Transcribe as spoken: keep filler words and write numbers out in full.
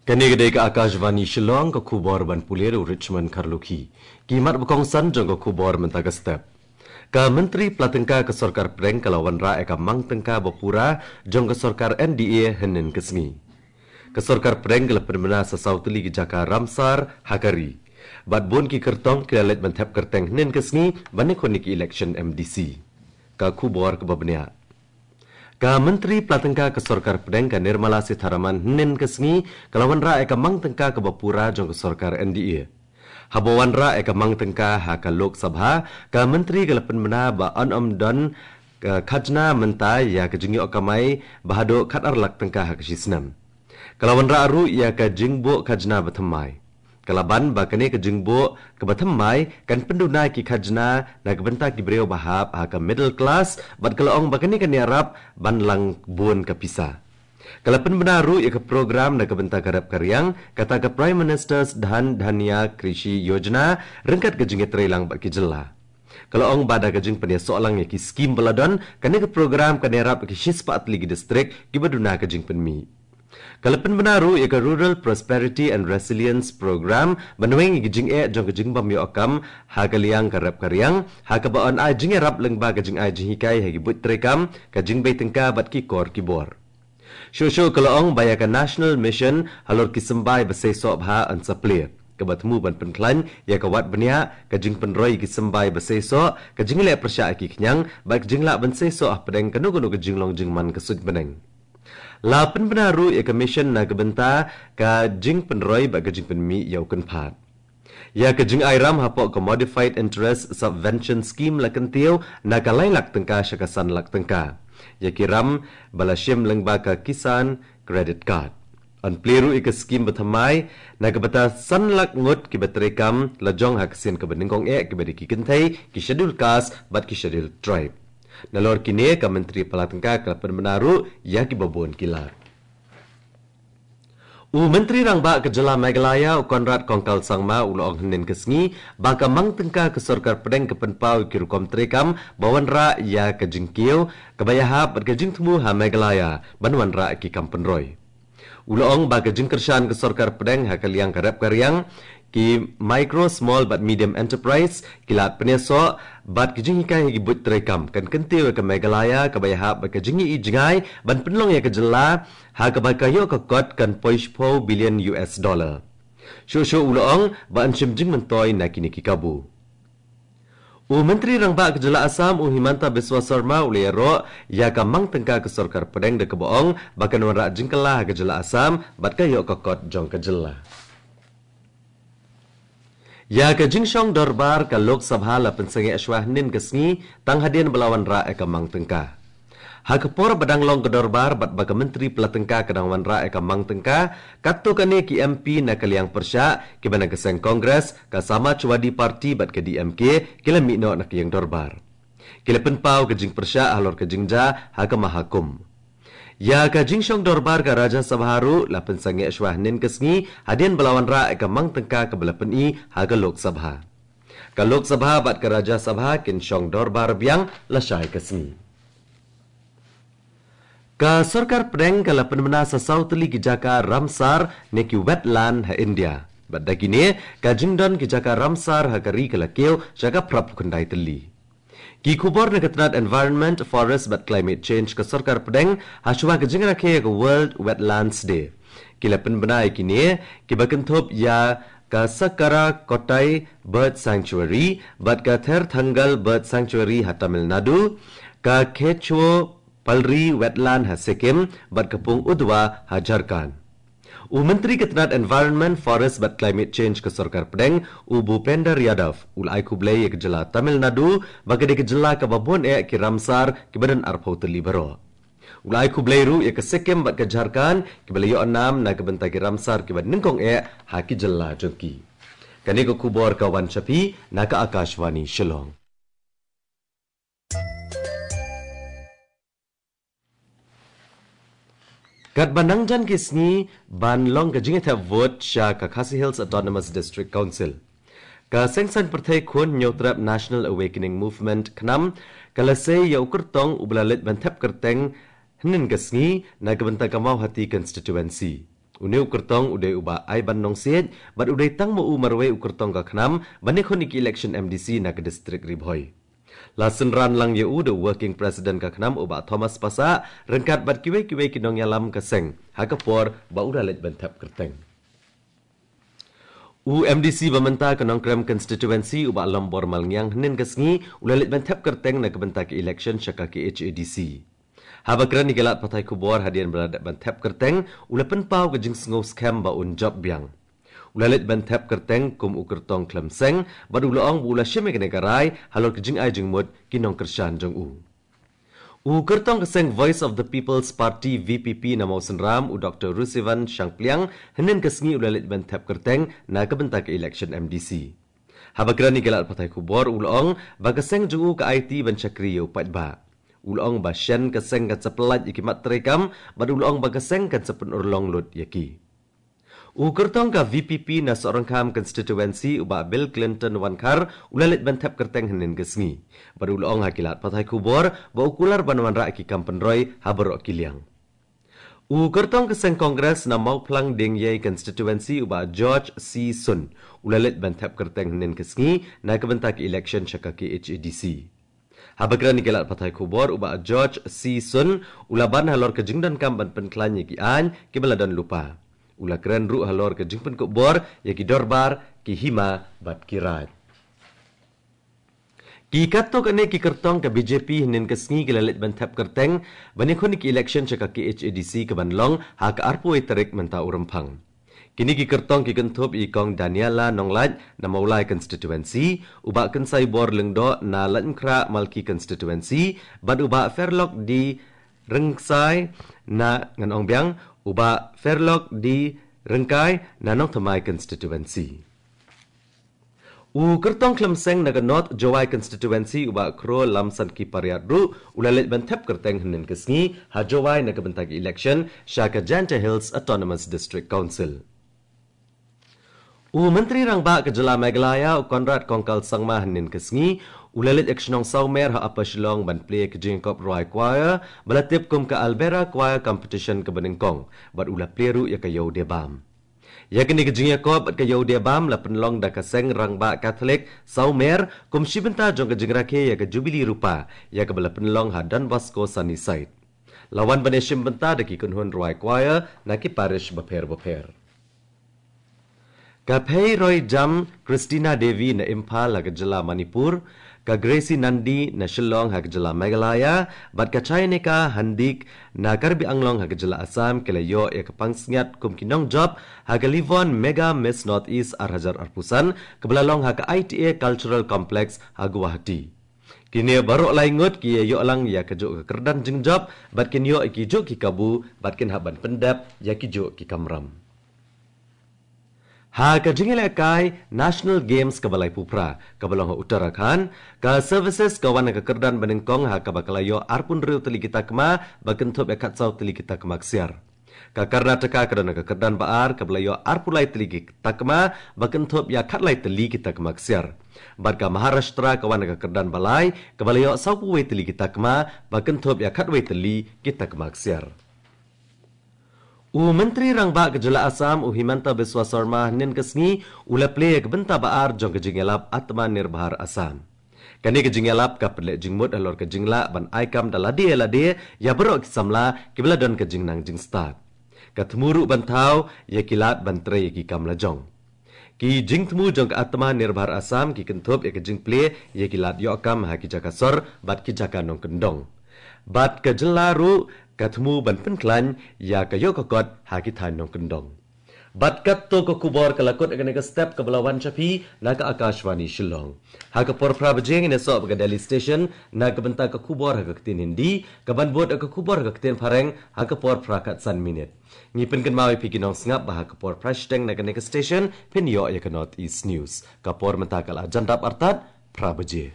Kane ka dei ka Akashvani Shillong, ka khubor ban pule da u Richmond Kharlukhi. Ki mat ba kongsan jong ka khubor mynta ka step. Ka Myntri Pla Tyngka ka Sorkar Pdeng ka la wanrah ïa ka mang tyngka ba pura jong ka sorkar N D A hynnin ka sngi. Ka Sorkar Pdeng ka la pynbna sa saw tylli ki jaka Ramsar ha ka ri. Bad bun ki kyrtong ki la leit ban thep kyrteng hynnin ka sngi ban ïakhun ïa ki election M D C. Ka khubor kaba bniah. Ka Myntri Pla Tyngka ka Sorkar Pdeng ka Nirmala Sitharaman hynnin ka sngi ka la wanrah ïa ka mang tyngka kaba pura jong ka sorkar N D A. Haba wanrah ïa ka mang tyngka ha ka Lok Sabha, ka Myntri ka la pynbna ba yn ym don ka khajna mynta ïa ka jingïoh kamai ba haduh khatar lak tyngka ha ka shi snem. Ka la wanrah ruh ïa ka jingbuh khajna ba thymmai. Ka la ban ba kane ka jingbuh kaba thymmai kan pynduna ïa ki khajna na ka bynta ki briew ba hap ha ka middle class, bad ka la ong ba kane kan ïarap ban lang bun ka pisa. Ka la pynbna ruh ïa ka program na ka bynta ka rep ka riang, kata ka Prime Minister's Dhan Dhanya Krishi Yojana, ryngkat ka jingïatreilang bad ki jylla. Ka la ong ba da ka jingpynïasoh lang ïa ki skim ba la don, kane ka program kan ïarap ïa ki shispah tylli ki distrik kiba duna ka jingpynmih. Ka la pynbna ruh ïa ka Rural Prosperity and Resilience Program ban weng ïa ka jingeh jong ka jingbym ïoh kam ha ka liang ka rep ka riang, ha kaba yn ai jingïarap lyngba ka jingai jinghikai ha ki buit treikam, ka jingbei tyngka bad ki kor ki bor. Shuh shuh ka la ong ba ïa ka National Mission halor ki symbai ba seisoh bha yn sa plie, kaba thmu ban pynkhlaiñ ïa ka wad bniah, ka jingpynroi ïa ki symbai ba seisoh, ka jingleh pyrshah ïa ki khñiang, bad ka jinglah ban seisoh hapdeng kano kano ka jinglong jingman ka suiñ bneng. La pynbna ruh ïa ka mission na ka bynta ka jingpynroi bad ka jingpynmih ïa u kynphad. Ïa ka jingai ram hapoh ka Modified Interest Subvention Scheme la kyntiew na ka lai lak tyngka sha ka san lak tyngka ïa ki ram ba la shim lyngba ka Kisan Credit Card. Yn plie ruh ïa ka skim ba thymmai na ka bynta san lak ngut kiba treikam lajong ha ka sien kaba nyngkong eh, kiba dei ki kynthei, ki Scheduled Caste bad ki Scheduled Tribe. Nalor kine, ka Myntri Pla Tyngka ka la pynbna ruh ïa kiba bun ki lad. U Myntri Rangbah ka jylla Meghalaya, u Conrad Kongkal Sangma, u la ong hynnin ka sngi ba ka mang tyngka ka Sorkar Pdeng ka pynpaw ïa ki rukom treikam ba wanrah ïa ka jingkiew kaba ïahap bad ka jingthmu ha Meghalaya ban wanrah ïa ki kam pynroi. U la ong ba ka jingkyrshan ka Sorkar Pdeng ha ka liang ka rep ka riang, ki micro, small bad medium enterprise, ki lad pynïasoh bad ki jinghikai ha ki buit treikam kan kyntiew ïa ka Meghalaya kaba ïahap bad ka jingïohi jngai ban pynlong ïa ka jylla ha kaba ka ïoh ka kot kan poi shiphew billion U S dollar. Shuh shuh u la ong ba yn shim jingmyntoi na kine ki kabu. U Myntri Rangbah ka jylla Assam, u Himanta Biswa Sarma, u la ïaroh ïa ka mang tyngka ka Sorkar Pdeng da kaba ong ba kan wanrah jingkylla ha ka jylla Assam bad ka ïoh ka kot jong ka jylla. Ïa ka jingshong dorbar ka Lok Sabha la pynsangeh shwa hynnin ka sngi tang hadien ba la wanrah ïa ka mang tyngka. Ha ka por ba dang long ka dorbar bad ba ka Myntri Pla Tyngka ka dang wanrah ïa ka mang tyngka, katto katne ki M P na ka liang pyrshah, kiba na ka seng Congress, ka Samajwadi Party bad ka D M K, ki la mih noh na ka ïing dorbar. Ki la pynpaw ka jingpyrshah halor ka jingjia ha ka Mahakumbh. Ïa ka jingshong dorbar ka Rajya Sabha ruh la pynsangeh shwa hynnin ka sngi hadien ba la wanrah ïa ka mang tyngka kaba la pyni ha ka Lok Sabha. Ka Lok Sabha bad ka Rajya Sabha kin shong dorbar biang lashai ka sngi. Ka Sorkar Pdeng ka la pynbna sa saw tylli ki jaka Ramsar ne ki wetland ha India. Bad da kine, ka jingdon ki jaka Ramsar ha ka ri ka la kiew sha ka phra phew khyndai tylli. Ki khubor na ka tnat Environment, Forest bad Climate Change ka Sorkar Pdeng, ha shuwa ka jingrakhe ïa ka World Wetlands Day, ki la pynbna ïa kine, kiba kynthup ïa ka Sakkarakottai Bird Sanctuary bad ka Therthangal Bird Sanctuary ha Tamil Nadu, ka Kecho Palri Wetland ha Sikkim bad ka Pung Udwa ha Jharkhand. U Myntri ka tnat Environment, Forest bad Climate Change ka Sorkar Pdeng, u Bhupender Yadav, u la ai khublei ïa ka jylla Tamil Nadu ba ka dei ka jylla kaba bun eh ki Ramsar kiba don arphew tylli baroh. U la ai khublei ruh ïa ka Sikkim bad ka Jharkhand kiba la ïoh nam na ka bynta ki Ramsar kiba nyngkong eh ha ki jylla jong ki. Kane ka khubor ka wan sha phi na ka Akashvani Shillong. Katba nang jan ki sngi ban long ka jingïathep vote sha ka Khasi Hills Autonomous District Council, ka Seng Saiñ Pyrthei Khun Hynñiewtrep National Awakening Movement, KHNAM, ka la sei ïa u kyrtong uba la leit ban thep kyrteng hynnin ka sngi na ka bynta ka Mawhati Constituency. Une u kyrtong u dei u Bah Aiban Nongsiej, bad u dei tang ma u marwei u kyrtong ka KHNAM ban ïakhun ïa ki election M D C na ka district Ri Bhoi. La synran lang ïa u da u working president ka KHNAM u Bah Thomas Passah, ryngkat bad kiwei kiwei ki nongïalam ka seng, ha ka por ba u la leit ban thep kyrteng. U M D C ba mynta ka Nongkrem constituency u Bah Lombor Malngiang hynnin ka sngi u la leit ban thep kyrteng na ka bynta ka election sha ka K H A D C. Haba kren ïa ki lad pathai khubor hadien ba la dep ban thep kyrteng, u la pynpaw ka jingsngew skhem ba un jop biang. U la leit ban thep kyrteng kum u kyrtong khlem seng, bad u la ong ba u la shim ïa kane ka rai halor ka jingai jingmut ki nongkyrshan jong u. U kyrtong ka seng Voice of the People's Party, V P P, na Mawsynram, u Doktor Rusivan Shangpliang, hynnin ka sngi u la leit ban thep kyrteng na ka bynta ka election M D C. Haba kren ïa ki lad pathai khubor u la ong ba ka seng jong u ka aiti ban shakri ïa u paidbah. U la ong ba shen ka seng kan sa pyllait ïa ki mat treikam, bad u la ong ba ka seng kan sa pynurlong lut ïa ki. U kyrtong ka V P P na Sohryngkham constituency u Bah Bill Clinton Wankhar u la leit ban thep kyrteng hynnin ka sngi. Bad u la ong ha ki lad pathai khubor ba u kular ban wanrah ïa ki kam pynroi ha baroh ki liang. U kyrtong ka seng Congress na Mawphlang Diengiei constituency u Bah George C Sun u la leit ban thep kyrteng hynnin ka sngi na ka bynta ka election sha ka K H A D C. Haba kren ïa ki lad pathai khubor u Bah George C Sun u la ban halor ka jingdonkam ban pynkhlaiñ ïa ki aiñ kiba la don lypa. U la kren ruh halor ka jingpynkup bor ïa ki dorbar, ki hima bad ki raid. Ki katto katne ki kyrtong ka B J P hynnin ka sngi ki la leit ban thep kyrteng ban ïakhun ïa ki election sha ka K H A D C kaban long ha ka arphew tarik mynta u Rymphang. Kine ki kyrtong ki kynthup ïa i Kong Daniela Nonglait na Mawlai constituency, u Bah Kynsaibor Lyngdoh na Laitumkhrah Malki constituency, bad u Bah Fairlock D Ryngkai na, ngan ong biang, u Bah Fairlock D Ryngkai na Nongthymmai constituency. U kyrtong khlem seng na ka North Jowai constituency u Bah Kro Lamsanki Pariat ruh u la leit ban thep kyrteng hynnin ka sngi ha Jowai na ka bynta ka election sha ka Jaintia Hills Autonomous District Council. U Myntri Rangbah ka jylla Meghalaya u Conrad Kongkal Sangma hynnin ka sngi u la leit ïa ka shnong Sawmer ha Upper Shillong ban plie ïa ka jingïakop rwai choir ba la tip kum ka Albera Choir Competition kaba nyngkong, bad u la plie ruh ïa ka Ïew Diabam. Ïa kane ka jingïakop bad ka Ïew Diabam la pynlong da ka Seng Rangbah Katholik Sawmer kum shi bynta jong ka jingrakhe ïa ka Jubili Rupa ïa kaba la pynlong ha Don Bosco Sunnyside. La wan ban ïashim bynta da ki kynhun rwai choir na ki parish bapher bapher. Ka Pheiroijam Christina Devi na Imphal ha ka jylla Manipur, ka Gracie Nandi na Shillong ha ka jylla Meghalaya, bad ka Chaynika Handik na Karbi Anglong ha ka jylla Assam ki la ïoh ïa ka pansngiat kum ki nongjop ha ka Livon Mega Miss North East ar hajar arphew san kaba la long ha ka I T A Cultural Complex ha Guwahati. Kine baroh lai ngut ki ïa ïoh lang ïa kajuh ka kyrdan jingjop bad kin ïoh ïa kijuh ki kabu bad kin hap ban pyndep ïa kijuh ki kamram. Ha ka jingïalehkai National Games kaba laiphew phra kaba long ha Uttarakhand, ka Services ka wan ha ka kyrdan banyngkong ha kaba ka la ïoh arphew hynriew tylli ki takma ba kynthup ïa khatsaw tylli ki takma ksiar. Ka Karnataka ka don ha ka kyrdan ba ar kaba la ïoh arphew lai tylli ki takma ba kynthup ïa khatlai tylli ki takma ksiar. Bad ka Maharashtra ka wan ha ka kyrdan ba lai kaba la ïoh sawphew wei tylli ki takma ba kynthup ïa khatwei tylli ki takma ksiar. U Myntri Rangbah ka jylla Assam u Himanta Biswa Sarma hynnin ka sngi u la plie ïa ka bynta ba ar jong ka jingïalap Atmanirbhar Assam. Kane ka jingïalap ka pynleh jingmut halor ka jinglah ban ai kam da lade lade ïa baroh ki samla kiba la don ka jingnang jingstad. Ka thmu ruh ban thaw ïa ki lad ban trei ïa ki kam la jong. Ki jingthmu jong ka Atmanirbhar Assam ki kynthup ïa ka jingplie ïa ki lad ïoh kam ha ki jaka sor bad ki jaka nongkyndong. Bad ka jylla ruh ka thmu ban pynkhlaiñ ïa ka ïoh ka kot ha ki thaiñ nongkyndong. Bad katto ka khubor ka la kut ïa kane ka step kaba la wan sha phi na ka Akashvani Shillong. Ha ka por phra baje ngin ïasoh bad ka Delhi Station na ka bynta ka khubor ha ka ktien Hindi, kaban bud ïa ka khubor ha ka ktien Phareng ha ka por phra khatsan minit. Ngi pynkynmaw ïa phi ki nongsngap ba ha ka por phra shiteng na kane ka station phin ïoh ïa ka North East News. Ka por mynta ka la jan dap artat phra baje.